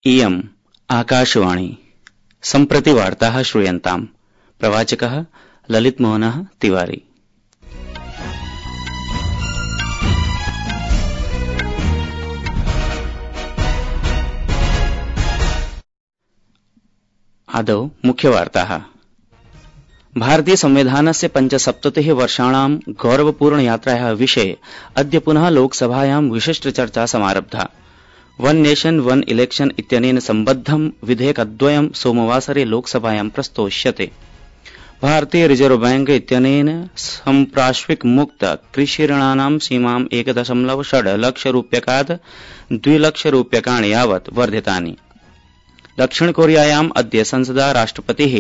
इयम् आकाशवाणी सम्प्रति वार्ताः श्रूयन्ताम्। प्रवाचकः ललितमोहनः तिवारी। आदौ मुख्यवार्ताः। भारतीय संविधानस्य 75 वर्षाणां गौरवपूर्ण यात्रायाः विषये अद्य पुनः लोकसभायां विशिष्टचर्चा समारब्धा। वन नेशन वन इलेक्शन इत्यनेन सम्बद्धं विधेयकद्वयं सोमवासरे लोकसभायां प्रस्तोष्यते। भारतीय रिजर्व बैंक इत्यनेन सम्प्राश्विक मुक्त कृषिऋणानां सीमां 1.6 लक्षरूप्यकात् 2 लक्षरूप्यकाणि यावत् वर्धितानि। दक्षिण कोरियायाम् अद्य संसदा राष्ट्रपतिः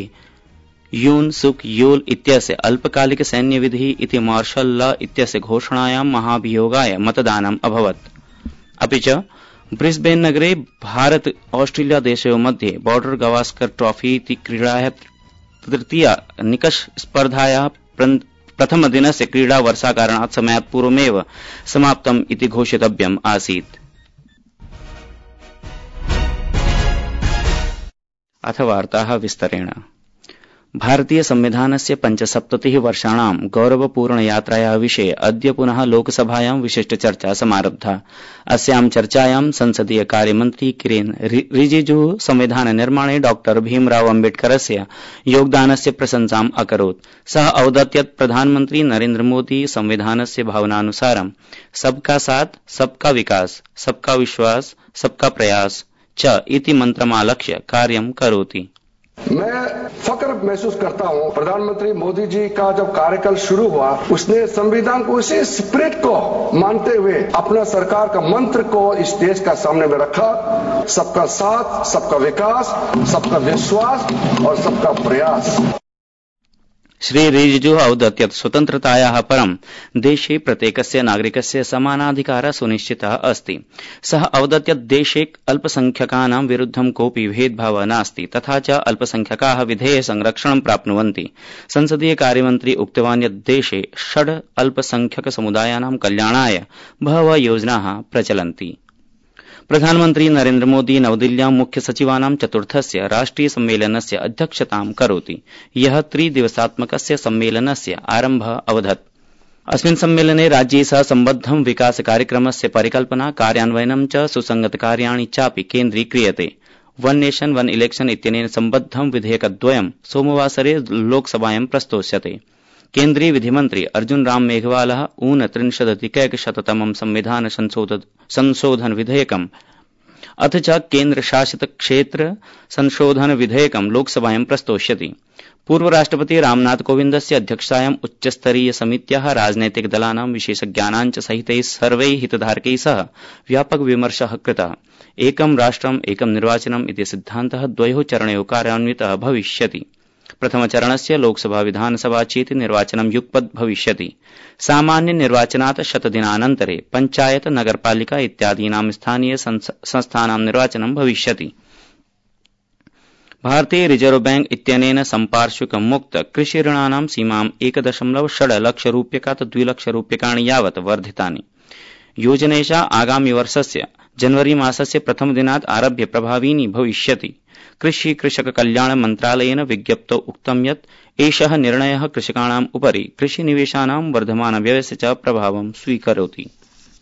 यून सुक योल इत्यस्य अल्पकालिक सैन्यविधिः इति मार्शल लॉ इत्यस्य घोषणायां महाभियोगाय मतदानम् अभवत्। अपि च ब्रिस्बेन नगरे भारत ऑस्ट्रेलिया देशयोः मध्ये बॉर्डर गावस्कर ट्रॉफी इति क्रीडायाः तृतीया निकष स्पर्धायाः प्रथमदिनस्य क्रीडा वर्षाकारणात् समयात् पूर्वमेव समाप्तम् इति घोषितव्यम् आसीत्। अथ वार्ताः विस्तरेण। भारतीय संविधानस्य 75 वर्षाणां गौरवपूर्ण यात्रायाः विषये अद्य पुनः लोकसभायां विशिष्टचर्चा समारब्धा। अस्यां चर्चायां संसदीय कार्यमन्त्री किरेन रिजिजुः संविधान निर्माणे डॉक्टर भीमराव अम्बेडकरस्य योगदानस्य प्रशंसाम् अकरोत्। सः अवदत् यत् प्रधानमन्त्री नरेन्द्र मोदी संविधानस्य भावनानुसारं सबका साथ सबका विकास सबका विश्वास सबका प्रयास च इति मन्त्रमालक्ष्य कार्यं करोति। मैं फक्र महसूस करता हूं, प्रधानमंत्री मोदी जी का जब कार्यकाल शुरू हुआ उसने संविधान को उसी स्पिरिट को मानते हुए अपना सरकार का मंत्र को इस देश का सामने में रखा। सबका साथ सबका विकास सबका विश्वास और सबका प्रयास। श्री रिजिजुः अवदत् यत् स्वतन्त्रतायाः परं देशे प्रत्येकस्य नागरिकस्य समानाधिकारः सुनिश्चितः अस्ति। सः अवदत् यत् देशे अल्पसंख्यकानां विरुद्धं कोऽपि भेदभावः नास्ति तथा च अल्पसंख्यकाः विधेयः संरक्षणं प्राप्नुवन्ति। संसदीय कार्यमन्त्री उक्तवान् यत् देशे 6 अल्पसंख्यकसमुदायानां कल्याणाय बहवः योजनाः प्रचलन्ति। प्रधानमन्त्री नरेन्द्र मोदी नवदिल्ल्यां मुख्य सचिवानां चतुर्थस्य राष्ट्रिय सम्मेलनस्य अध्यक्षतां करोति। यः 3 दिवसात्मकस्य सम्मेलनस्य आरम्भः अवधत्। अस्मिन् सम्मेलने राज्यैः सह सम्बद्धं विकास कार्यक्रमस्य परिकल्पना कार्यान्वयनं च सुसंगतकार्याणि चापि केन्द्रीक्रियते। वन नेशन वन इलेक्शन इत्यनेन सम्बद्धं विधेयकद्वयं सोमवासरे लोकसभायां प्रस्तोष्यते। केन्द्रीय विधिमन्त्री अर्जुन राम मेघवालः 39-100तमं संविधान संशोधन विधेयकम् अथ च केन्द्रशासित क्षेत्र संशोधन विधेयकं लोकसभायां प्रस्तोष्यति। पूर्व राष्ट्रपति रामनाथ कोविन्दस्य अध्यक्षतायाम् उच्चस्तरीय समित्याः राजनैतिक दलानां विशेषज्ञानां च सहितैः सर्वैः हितधारकैः सह व्यापक विमर्शः कृतः। एकं राष्ट्रम् एकं निर्वाचनम् इति सिद्धान्तः 2 चरणयोः कार्यान्वितः भविष्यति। प्रथमचरणस्य लोकसभा विधानसभा चेति निर्वाचनं युगपत् भविष्यति। सामान्य निर्वाचनात् 100 दिनानन्तरे पञ्चायत नगरपालिका इत्यादीनां स्थानीय संस्थानां निर्वाचनं भविष्यति। भारतीय रिजर्व बैंक इत्यनेन सम्पार्श्विक मुक्त कृषिऋणानां सीमां 1.6 लक्षरूप्यकात् 2 लक्षरूप्यकाणि यावत् वर्धितानि। योजनेषा आगामि वर्षस्य जनवरी मासस्य प्रथमदिनात् आरभ्य प्रभाविनी भविष्यति। कृषि कृषक कल्याण मन्त्रालयेन विज्ञप्तौ उक्तं यत् एषः निर्णयः कृषकाणाम् उपरि कृषिनिवेशानां वर्धमानव्ययस्य च प्रभावं स्वीकरोति।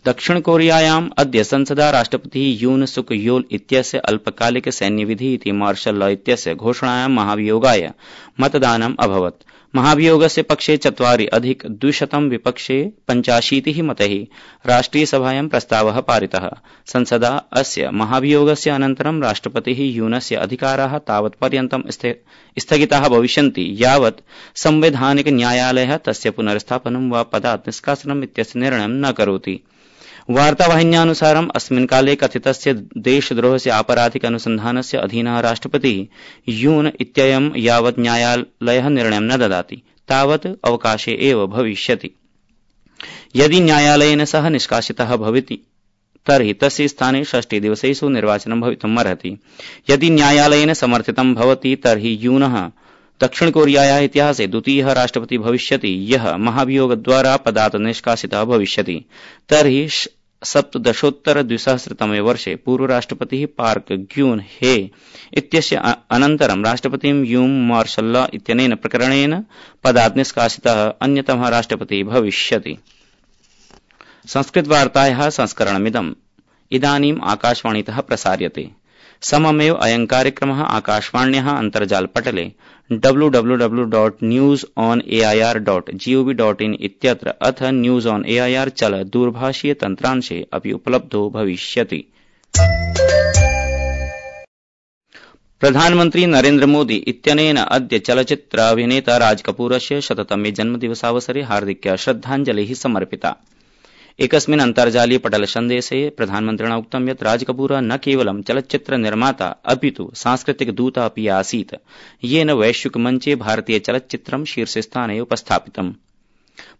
दक्षिण कोरियायाम् अद्य संसदा राष्ट्रपतिः यून सुक योल इत्यस्य अल्पकालिक सैन्यविधिः इति मार्शल लॉ इत्यस्य घोषणायां महाभियोगाय मतदानम् अभवत्। महाभियोगस्य पक्षे 4+200 विपक्षे 85 मतैः राष्ट्रियसभायां प्रस्तावः पारितः। संसदा अस्य महाभियोगस्य अनन्तरं राष्ट्रपतिः यूनस्य अधिकाराः तावत्पर्यन्तं स्थगिताः भविष्यन्ति यावत् संवैधानिक न्यायालयः तस्य पुनर्स्थापनं वा पदात् निष्कासनम् इत्यस्य निर्णयं न करोति। वार्तावाहिन्यानुसारम् अस्मिन् काले कथितस्य देशद्रोहस्य आपराधिक अनुसन्धानस्य अधीनः राष्ट्रपतिः यून इत्ययं यावत् न्यायालयः निर्णयं न ददाति तावत् अवकाशे एव भविष्यति। यदि न्यायालयेन सह निष्कासितः भवति तर्हि तस्य स्थाने 6 दिवसेषु निर्वाचनं भवितुम् अर्हति। यदि न्यायालयेन समर्थितं भवति तर्हि यूनः दक्षिण कोरियायाः इतिहासे द्वितीयः राष्ट्रपतिः भविष्यति यः महाभियोगद्वारा पदात् निष्कासितः भविष्यति। तर्हि सप्तदशोत्तर-द्विसहस्रतमे वर्षे पूर्वराष्ट्रपतिः पार्क ग्यून हे इत्यस्य अनन्तरं राष्ट्रपतिं यूम मार्शल् इत्यनेन प्रकरणेन पदात् निष्कासितः अन्यतमः राष्ट्रपतिः भविष्यति। संस्कृतवार्तायाः संस्करणमिदम् इदानीम् आकाशवाणीतः प्रसार्यते। सममेव अयं कार्यक्रमः आकाशवाण्याः अन्तर्जालपटले www.newsonair.gov.in इत्यत्र अथ न्यूज ऑन एआईआर चल दूरभाषीय तन्त्रांशे अपि उपलब्धो भविष्यति। प्रधानमन्त्री नरेन्द्र मोदी इत्यनेन अद्य चलच्चित्र अभिनेता राज कपूरस्य 100तमे जन्मदिवसावसरे हार्दिक्या श्रद्धाञ्जलिः समर्पिता। एकस्मिन् अन्तर्जालीय पटल सन्देशे प्रधानमन्त्रिणा उक्तं यत् राज कपूर न केवलं चलच्चित्र निर्माता अपितु सांस्कृतिक दूत अपि आसीत्, येन वैश्विकमञ्चे भारतीय चलच्चित्रं शीर्षस्थाने उपस्थापितम्।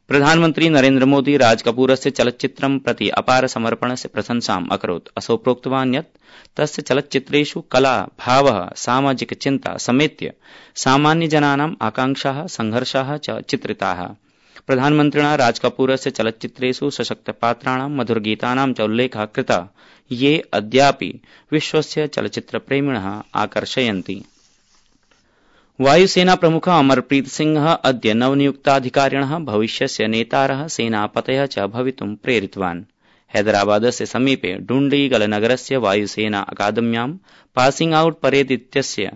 प्रधानमन्त्री नरेन्द्र मोदी राज कपूरस्य चलच्चित्रं प्रति अपार समर्पणस्य प्रशंसाम् अकरोत्। असौ प्रोक्तवान् यत् तस्य चलच्चित्रेषु कला, भावः, सामाजिक चिन्ता समेत्य सामान्यजनानाम् आकांक्षाः, संघर्षाः च चित्रिताः। प्रधानमन्त्रिणा राज कपूरस्य चलच्चित्रेषु सशक्तपात्राणां मधुरगीतानां च उल्लेखः कृतः, ये अद्यापि विश्वस्य चलच्चित्रप्रेमिणः आकर्षयन्ति। वायुसेना प्रमुखः अमरप्रीत सिंहः अद्य नवनियुक्ताधिकारिणः भविष्यस्य नेतारः, सेनापतयः च भवितुं प्रेरितवान्। हैदराबादस्य समीपे डुण्डीगलनगरस्य वायुसेना अकादम्यां पासिंग आउट परेड इत्यस्य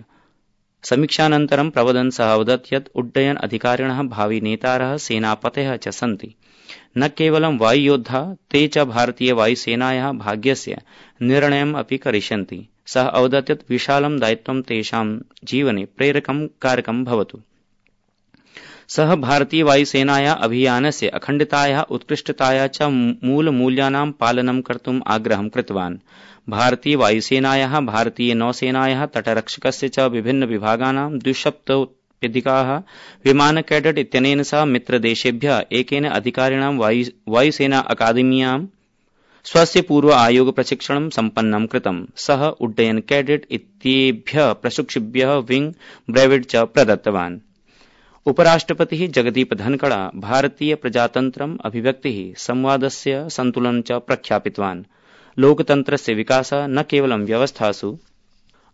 समीक्षानन्तरं प्रवदन् सः अवदत् यत् उड्डयन अधिकारिणः भावी नेतारः, सेनापतयः च सन्ति। न केवलं वायुयोद्धा, ते च भारतीय वायुसेनायाः भाग्यस्य निर्णयम् अपि करिष्यन्ति। सः अवदत् यत् विशालं दायित्वं तेषां जीवने प्रेरकं कारकं भवतु। सः भारतीय वायुसेनायाः अभियानस्य अखण्डतायाः, उत्कृष्टतायाः च मूलमूल्यानां पालनं कर्तुम् आग्रहं कृतवान्। भारतीय वायुसेनायाः, भारतीय नौसेनायाः, तटरक्षकस्य च विभिन्न विभागानां 270 विमान कैडेट इत्यनेन सह मित्रदेशेभ्यः एकेन अधिकारिणां वायुसेना अकादम्यां स्वस्य पूर्व आयोग प्रशिक्षणं सम्पन्नं कृतम्। सः उड्डयन कैडेट इत्येभ्यः प्रशिक्षिभ्यः विंग ब्रेविड च प्रदत्तवान्। उपराष्ट्रपतिः जगदीप धनखड़ भारतीय प्रजातन्त्रम् अभिव्यक्तिः, संवादस्य सन्तुलनं च प्रख्यापितवान्। लोकतन्त्रस्य विकासः न केवलं व्यवस्थासु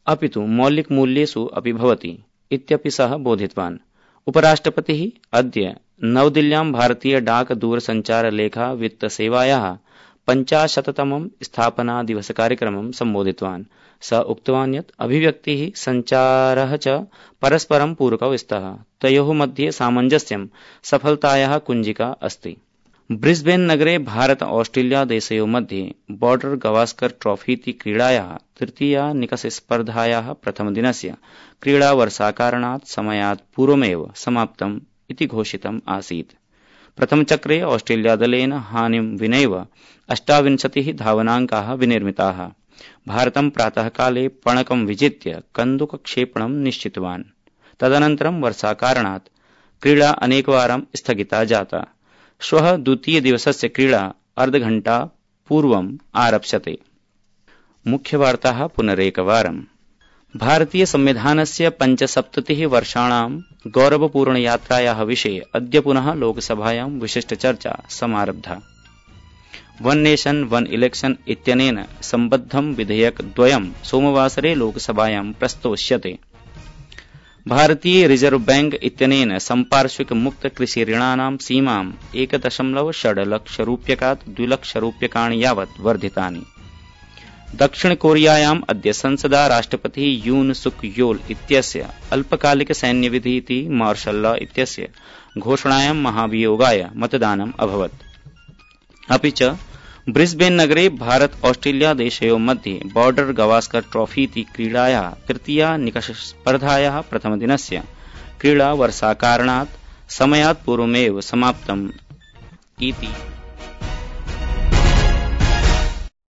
अपितु मौलिकमूल्येषु अपि भवति इत्यपि सः बोधितवान्। उपराष्ट्रपतिः अद्य नवदिल्ल्यां भारतीय डाक दूरसञ्चार लेखा वित्त सेवायाः 50तमं स्थापना दिवस कार्यक्रमं सम्बोधितवान्। सः उक्तवान् यत् अभिव्यक्तिः, सञ्चारः च परस्परं पूरकौ स्तः। तयोः मध्ये सामञ्जस्यं सफलतायाः कुञ्जिका अस्ति। ब्रिस्बेन नगरे भारत ऑस्ट्रेलिया देशयोः मध्ये बॉर्डर गवास्कर ट्रॉफी इति क्रीडायाः तृतीया निकषस्पर्धायाः प्रथमदिनस्य क्रीडा वर्षाकारणात् समयात् पूर्वमेव समाप्तम् इति घोषितम् आसीत्। प्रथमचक्रे ऑस्ट्रेलिया दलेन हानिं विनैव 28 धावनाङ्काः विनिर्मिताः। भारतं प्रातःकाले पणकं विजित्य कन्दुकक्षेपणं निश्चितवान्। तदनन्तरं वर्षाकारणात् क्रीडा अनेकवारं स्थगिता जाता। श्वः द्वितीयदिवसस्य क्रीडा अर्धघण्टा पूर्वम् आरप्स्यते। मुख्यवार्ताः पुनरेकवारम्। भारतीय संविधानस्य 75 वर्षाणां गौरवपूर्णयात्रायाः विषये अद्य पुनः लोकसभायां विशिष्टचर्चा समारब्धा। वन नेशन वन इलेक्शन इत्यनेन सम्बद्धं विधेयकद्वयं सोमवासरे लोकसभायां प्रस्तोष्यते। भारतीय रिजर्व बैंक इत्यनेन सम्पार्श्विक मुक्त कृषि ऋणानां सीमां 1.6 लक्षरूप्यकात् 2 लक्षरूप्यकाणि यावत् वर्धितानि। दक्षिण कोरियायाम् अद्य संसदा राष्ट्रपतिः यून सुक योल इत्यस्य अल्पकालिक सैन्यविधि इति मार्शल् लॉ इत्यस्य घोषणायां महाभियोगाय मतदानम् अभवत्। अपि च ब्रिस्बेन नगरे भारत ऑस्ट्रेलिया देशयोः मध्ये बॉर्डर गवास्कर ट्रॉफी इति क्रीडायाः तृतीया निकषस्पर्धायाः प्रथमदिनस्य क्रीडा वर्षाकारणात् समयात् पूर्वमेव समाप्तम् इति